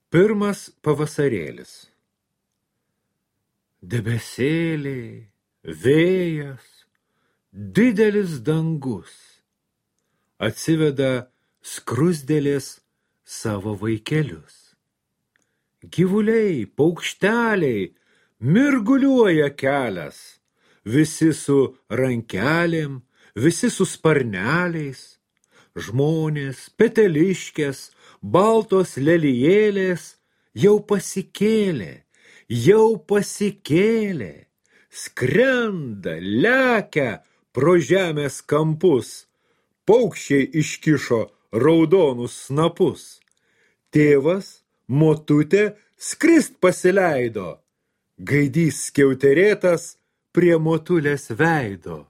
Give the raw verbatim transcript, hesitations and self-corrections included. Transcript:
Pirmas pavasarėlis. Debesėliai, vėjas, didelis dangus atsiveda skrusdėlės savo vaikelius. Gyvuliai, paukšteliai, mirguliuoja kelias, visi su rankelėm, visi su sparneliais, žmonės, peteliškės, baltos lelijėlės jau pasikėlė, jau pasikėlė, skrenda, lekia pro žemės kampus, paukščiai iškišo raudonus snapus. Tėvas, motutė skrist pasileido, gaidys skiauterėtas prie motulės veido.